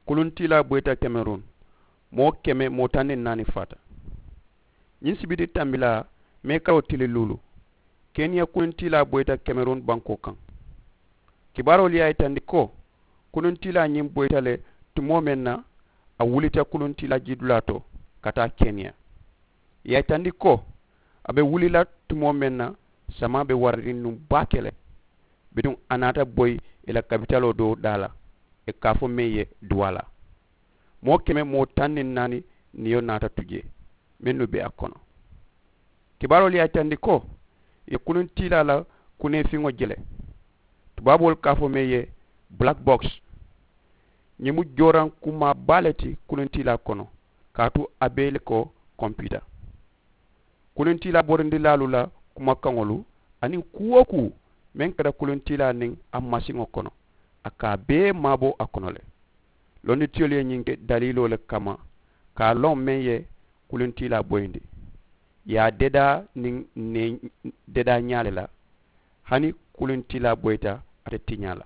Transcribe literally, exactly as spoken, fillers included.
Kuluntiilaa boyita kemerun. Moo keme moo taŋ niŋ naani faata. Ñiŋ sibiti tambilaa mee karoo tili luulu, keniya kuluntiilaa boyita kemerun bankoo kaŋ. Kibaaroolu ye a yitandi ko kuluntiilaa ñiŋ boyita le tumoo meŋ na, a wulita kuluntiilaa jiidulaa to ka taa keniya. Ì ye a yitandi ko a be wuli la tumoo meŋ na, samaa be warariŋ nuŋ baake le. Bituŋ a naata boyi ì la kapitaloo doo daa la, ì ka a fo meŋ ye duwaa la. Moo keme moo taŋ niŋ naani niyo naata tu jee, mennu be a kono. Kibaaroolu ye a yitandi ko ì ye kuluntiilaa la kuneefiŋo je le. Tubaaboolu ka a fo meŋ ye black box. Ñiŋ mu jooraŋ kumaa baa le ti kuluntiilaa kono, kaatu a bee le ko kompita. Kuluntiilaa borindilaalu la kumakaŋolu aniŋ kuu wo kuu meŋ keta kuluntiilaa niŋ a masiŋo kono, a ka a bee maabo a kono le. Londitiyolu ye ñiŋ ke daliiloo le kamma ka a loŋ meŋ ye kuluntiilaa boyindi, ì ye a dedaa niŋ nee dedaa ñaa le la. Hani kuluntiilaa boyita ate tiñaa la.